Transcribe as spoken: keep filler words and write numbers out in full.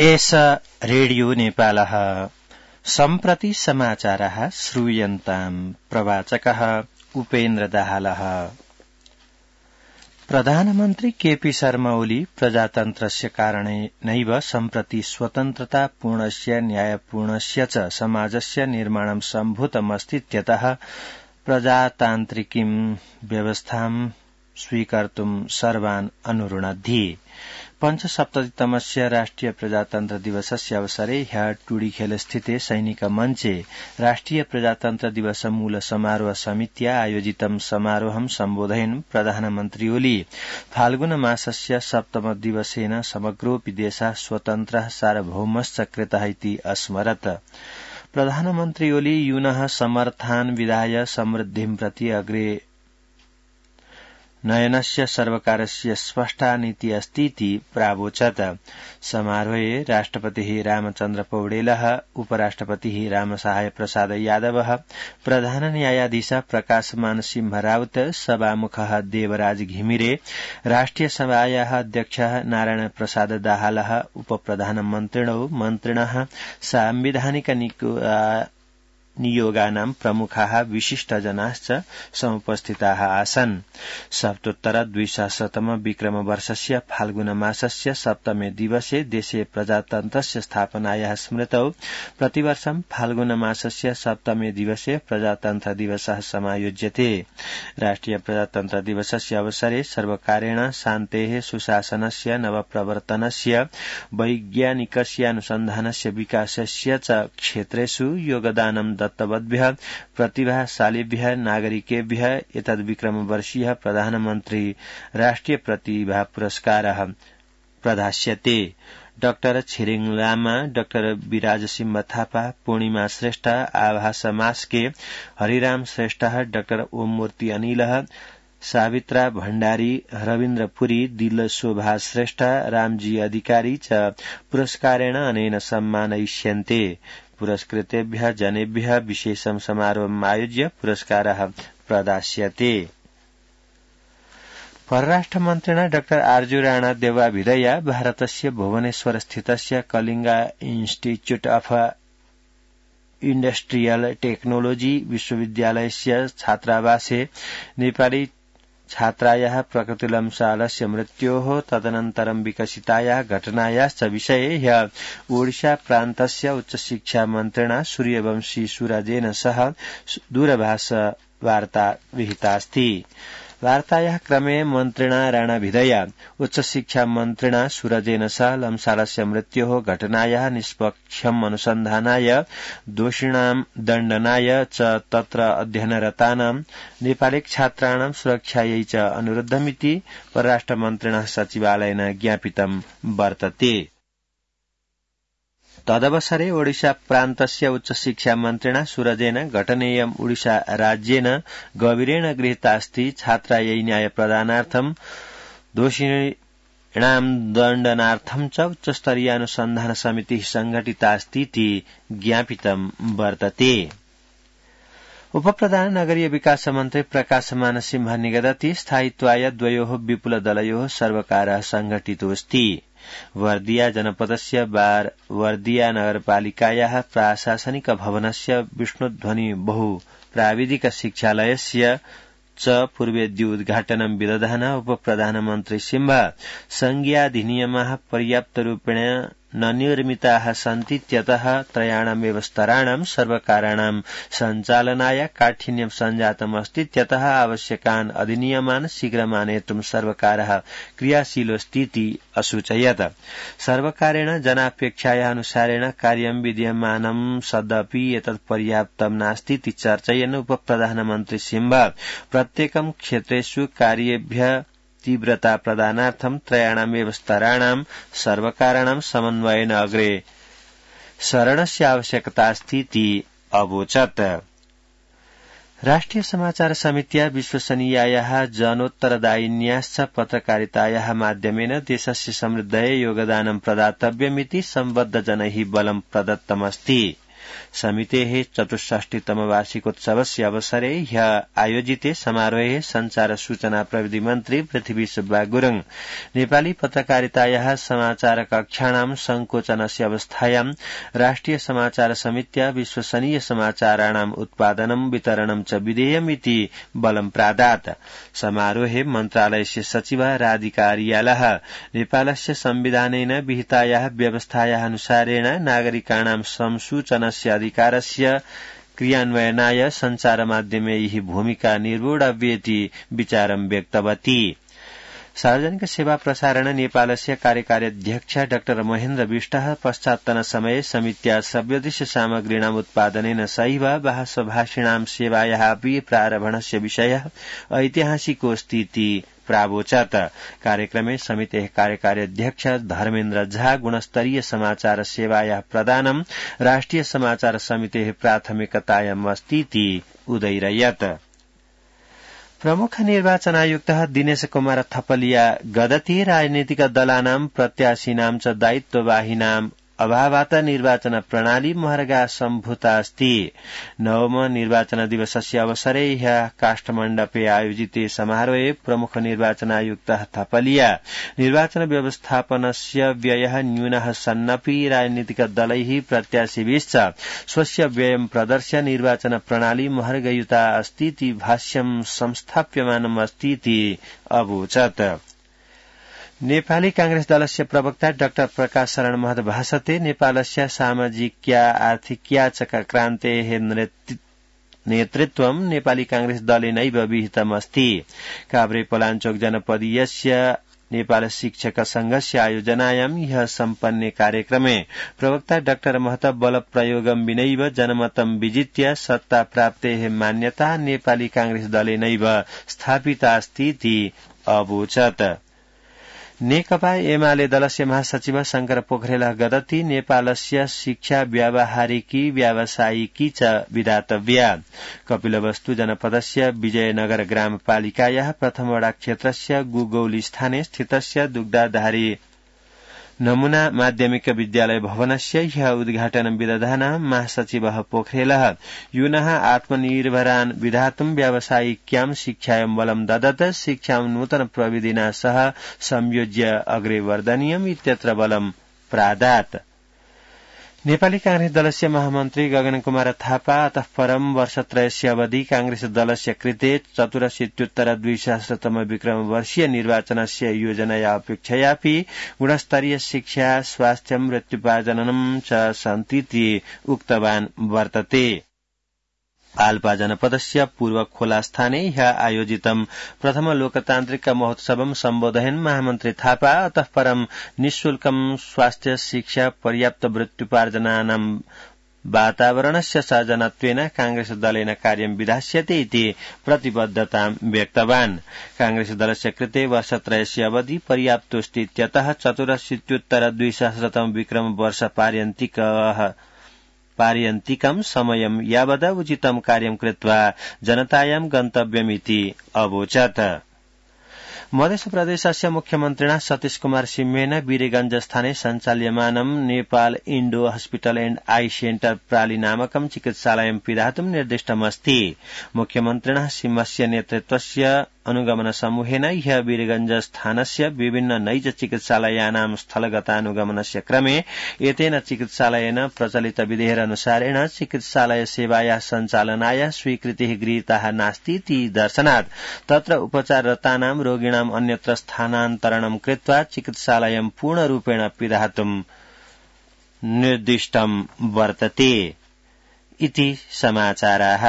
एष रेडियो नेपालः सम्प्रति समाचारः श्रूयन्ताम् प्रवाचकः उपेन्द्र दाहालः। प्रधानमन्त्री केपी शर्मा ओली प्रजातन्त्रस्य कारणेनैव सम्प्रति स्वतन्त्रतापूर्णस्य न्यायपूर्णस्य च समाजस्य निर्माणं सम्भूतमस्तीत्यतः प्रजातान्त्रिकीं व्यवस्थां स्वीकर्तुं सर्वान् अनुरुणद्धि। पञ्चसप्ततितमस्य राष्ट्रिय प्रजातन्त्र दिवसस्य अवसरे ह्यः टुडीखेलस्थिते सैनिक मञ्चे राष्ट्रिय प्रजातन्त्र दिवस मूल समारोह समित्या आयोजितं समारोहं सम्बोधयन् प्रधानमन्त्री ओली फाल्गुन मासस्य सप्तम दिवसेन समग्रोऽपि देशः स्वतन्त्रः सार्वभौमश्च कृतः इति अस्मरत्। प्रधानमन्त्री ओली यूनः समर्थान् विधाय समृद्धिं प्रति अग्रे नयनस्य सर्वकारस्य स्पष्टा नीति अस्तीति प्रावोचत्। समारोहे राष्ट्रपतिः रामचन्द्र पौडेलः, उपराष्ट्रपतिः रामसहाय प्रसाद यादवः, प्रधान न्यायाधीश प्रकाशमान सिंह राउत, सभामुखः देवराज घिमिरे, राष्ट्रिय सभायाः अध्यक्षः नारायण प्रसाद दाहालः, उपप्रधानमन्त्रिणो मन्त्रिणः, सांविधानिक नियोगानां प्रमुखाः विशिष्टजनाश्च समुपस्थिताः आसन्। सप्तोत्तर द्विसहस्रतम विक्रम वर्षस्य फाल्गुन मासस्य सप्तमे दिवसे देशे प्रजातन्त्रस्य स्थापनायाः स्मृतौ प्रतिवर्षं फाल्गुन मासस्य सप्तमे दिवसे प्रजातन्त्र दिवसः समायोज्यते। राष्ट्रिय प्रजातन्त्र दिवसस्य अवसरे सर्वकारेण शान्तेः, सुशासनस्य, नवप्रवर्तनस्य, वैज्ञानिकस्य अनुसन्धानस्य, विकासस्य च क्षेत्रेषु योगदानं दत्तवद्भ्यः प्रतिभाशालिभ्यः नागरिकेभ्यः एतद्विक्रमवर्षीयः प्रधानमन्त्री राष्ट्रिय प्रतिभा पुरस्कारः प्रदास्यते। डाक्टर छिरिङ लामा, डाक्टर विराज सिंह थापा, पूर्णिमा श्रेष्ठ, आभास मास्के, हरिराम श्रेष्ठ, डाक्टर ओम मूर्ति अनिलः, सावित्रा भण्डारी, रविन्द्र पुरी, दिल शोभा श्रेष्ठ, रामजी अधिकारी च पुरस्कारेण अनेन सम्मानयिष्यन्ते। पुरस्कृतेभ्यः जनेभ्यः विशेषं समारोहम् आयोज्य पुरस्कारः प्रदास्यते। परराष्ट्रमन्त्रिणा डाक्टर आर्जु राणा देवाभिधया भारतस्य भुवनेश्वर स्थितस्य कलिंगा इन्स्टिट्यूट अफ इण्डस्ट्रियल टेक्नोलोजी विश्वविद्यालयस्य छात्रावासे नेपाली छात्रायाः प्रकृतिलंशालस्य मृत्योः तदनन्तरं विकसितायाः घटनायाश्च विषये ह्यः ओडिशा प्रान्तस्य उच्चशिक्षा मन्त्रिणा सूर्यवंशी सुराजेन सह दूरभाष वार्ता विहितास्ति। वार्तायाः क्रमे मन्त्रिणा राणाभिधया उच्चशिक्षा मन्त्रिणा सूरजेन सह लम्सालस्य मृत्योः घटनायाः निष्पक्षम् अनुसन्धानाय, दोषिणां दण्डनाय च तत्र अध्ययनरतानां नेपाली छात्राणां सुरक्षायै च अनुरुद्धमिति परराष्ट्रमन्त्रिणः सचिवालयेन ज्ञापितं वर्तते। तदवसरे ओडिशा प्रान्तस्य उच्चशिक्षा मन्त्रिणा सूरजेन घटनेयं ओडिशा राज्येन गभीरेण गृहीतास्ति। छात्रायै न्यायप्रदानार्थं, दोषिणां दण्डनार्थं च उच्चस्तरीय अनुसन्धान समितिः संघटितास्तीति ज्ञापितं वर्तते। उपप्रधान नगरीय विकास मन्त्री प्रकाशमान सिंह निगदति स्थायित्वाय द्वयोः विपुलदलयोः सर्वकारः संघटितोऽस्ति। वर्दिया जनपदस्य बार वर्दिया नगरपालिकायाः प्राशासनिक भवनस्य विष्णुध्वनि बहु प्राविधिक शिक्षालयस्य च पूर्वेद्योद्घाटनं विदधान उपप्रधानमन्त्री सिंह संज्ञाधिनियमाः पर्याप्तरूपेण न निर्मिताः सन्तीत्यतः त्रयाणामेव स्तराणां सर्वकाराणां सञ्चालनाय काठिन्यं सञ्जातमस्तीत्यतः आवश्यकान् अधिनियमान् शीघ्रमानेतुं सर्वकारः क्रियाशीलोऽस्तीति असूचयत्। सर्वकारेण जनापेक्षायाः अनुसारेण कार्यं विद्यमानं सदपि एतत् पर्याप्तं नास्तीति चर्चयन् उपप्रधानमन्त्री सिंह प्रत्येकं क्षेत्रेषु कार्येभ्यः तीव्रता प्रदानार्थं त्रयाणामेव स्तराणां सर्वकाराणां समन्वयेन अग्रे सरणस्य आवश्यकतास्तीति अवोचत्। राष्ट्रिय समाचार समित्या विश्वसनीयायाः जनोत्तरदायिन्याश्च पत्रकारितायाः माध्यमेन देशस्य समृद्धये योगदानं प्रदातव्यमिति सम्बद्धजनैः बलं प्रदत्तमस्ति। समितेः चतुष्षष्टितम वार्षिकोत्सवस्य अवसरे ह्यः आयोजिते समारोहे संचार सूचना प्रविधि मन्त्री पृथ्वी सुब्बा गुरुङ नेपाली पत्रकारितायाः समाचार कक्षाणां संकोचनस्य अवस्थायां राष्ट्रिय समाचार समित्या विश्वसनीय समाचाराणाम् उत्पादनं वितरणं च विधेयमिति बलं प्रादात्। समारोहे मन्त्रालयस्य सचिवा राधिका आर्यालः नेपालस्य संविधानेन विहितायाः व्यवस्थायाः अनुसारेण नागरिकाणां संसूचनस्य अधिकारस्य क्रियान्वयनाय सञ्चारमाध्यमैः भूमिका निर्वोढव्येति विचारं व्यक्तवती। सार्वजनिक सेवा प्रसारण नेपालस्य कार्यकार्याध्यक्ष डाक्टर महेन्द्र विष्टः पश्चात्तन समये समित्या सव्यदिश सामग्रीणाम् उत्पादनेन सहैव भाषभाषिणां सेवायाः अपि प्रारम्भणस्य विषयः ऐतिहासिकोऽस्तीति प्रावोचत्। कार्यक्रमे समितेः कार्यकार्याध्यक्ष धर्मेन्द्र झा गुणस्तरीय समाचार सेवायाः प्रदानं राष्ट्रिय समाचार समितेः प्राथमिकतायाम् अस्तीति उदैरयत्। प्रमुख निर्वाचन आयुक्तः दिनेश कुमार थपलिया गदति राजनीतिक दलानां प्रत्याशिनां च दायित्ववाहिनाम् अभावात् निर्वाचन प्रणाली महर्गा सम्भूता अस्ति। नवम निर्वाचन दिवसस्य अवसरे ह्यः काष्ठमण्डपे आयोजिते समारोहे प्रमुख निर्वाचन आयुक्तः थपलिया निर्वाचन व्यवस्थापनस्य व्ययः न्यूनः सन्नपि राजनीतिक दलैः प्रत्याशिभिश्च स्वस्य व्ययं प्रदर्श्य निर्वाचन प्रणाली महर्गयुता अस्तीति भाष्यं संस्थाप्यमानम् अस्तीति अवोचत्। नेपाली कांग्रेस दलस्य प्रवक्ता डाक्टर प्रकाश शरण महत भाषते नेपालस्य सामाजिक्या आर्थिक्या च क्रान्तेः नेतृत्वं नेपाली कांग्रेस दलेनैव विहितमस्ति। काभ्रे पलाञ्चोक जनपदीयस्य नेपाल शिक्षक संघस्य आयोजनायां ह्यः सम्पन्ने कार्यक्रमे प्रवक्ता डाक्टर महत बल प्रयोगं विनैव जनमतं विजित्य सत्ता प्राप्तेः मान्यता नेपाली कांग्रेस दलेनैव स्थापितास्तीति अवोचत्। नेकपा एमाले दलस्य महासचिव शंकर पोखरेल गदति नेपालस्य शिक्षा व्यावहारिकी व्यावसायिकी च विधातव्या। कपिलवस्तु जनपदस्य विजयनगर ग्रामपालिकायाः प्रथमवडा क्षेत्रस्य गुगौली स्थाने स्थितस्य दुग्धाधारी नमूना माध्यमिक विद्यालय भवनस्य ह्यः उद्घाटनं विदधानः महासचिवः पोखरेलः यूनः आत्मनिर्भरान् विधातुं व्यावसायिक्यां शिक्षायां बलं ददत् शिक्षां नूतन प्रविधिना सह संयोज्य अग्रे वर्धनीयम् इत्यत्र बलं प्रादात्। नेपाली कांग्रेस दलस्य महामन्त्री गगन कुमार थापा अतः परं वर्षत्रयस्य अवधि कांग्रेस दलस्य कृते चतुरशीत्युत्तर द्विसहस्रतम विक्रम वर्षीय निर्वाचनस्य योजनया अपेक्षयापि गुणस्तरीय शिक्षा स्वास्थ्य मृत्युपाजननं च सन्तीति उक्तवान् वर्तते। आल्पा जनपदस्य पूर्व खोला स्थाने ह्यः आयोजितं प्रथम लोकतान्त्रिक महोत्सवं सम्बोधयन् महामन्त्री थापा अतः परं निःशुल्कं स्वास्थ्य शिक्षा पर्याप्त मृत्युपार्जनानां वातावरणस्य सर्जनत्वेन कांग्रेस दलेन कार्यं विधास्यते इति प्रतिबद्धतां व्यक्तवान्। कांग्रेस दलस्य कृते वर्षत्रयस्य अवधि पर्याप्तोऽस्ति इत्यतः चतुरशीत्युत्तर द्विसहस्रतम विक्रम वर्ष पार्यन्तिकः पार्यन्तिकं समयं यावद उचितं कार्यं कृत्वा जनतायां गन्तव्यमिति अवोचत्। मध्य प्रदेशस्य मुख्यमन्त्रिणा सतीश कुमार सिंहेन वीरगंज स्थाने सञ्चाल्यमानं Nepal Indo hospital and eye centre प्राली नामकं चिकित्सालयं पिधातुं निर्दिष्टमस्ति। मुख्यमन्त्रिणा सिंहस्य नेतृत्वस्य अनुगमन समूहेन ह्यः वीरगंज स्थानस्य विभिन्न नैज चिकित्सालयानां स्थलगतानुगमनस्य क्रमे एतेन चिकित्सालयेन प्रचलित विधेयनुसारेण चिकित्सालय सेवायाः सञ्चालनाय स्वीकृतिः गृहीता नास्तीति दर्शनात् तत्र उपचाररतानां रोगिणाम् अन्यत्र स्थानान्तरणं कृत्वा चिकित्सालयं पूर्णरूपेण पिधातुं निर्दिष्टं वर्तते इति समाचाराः।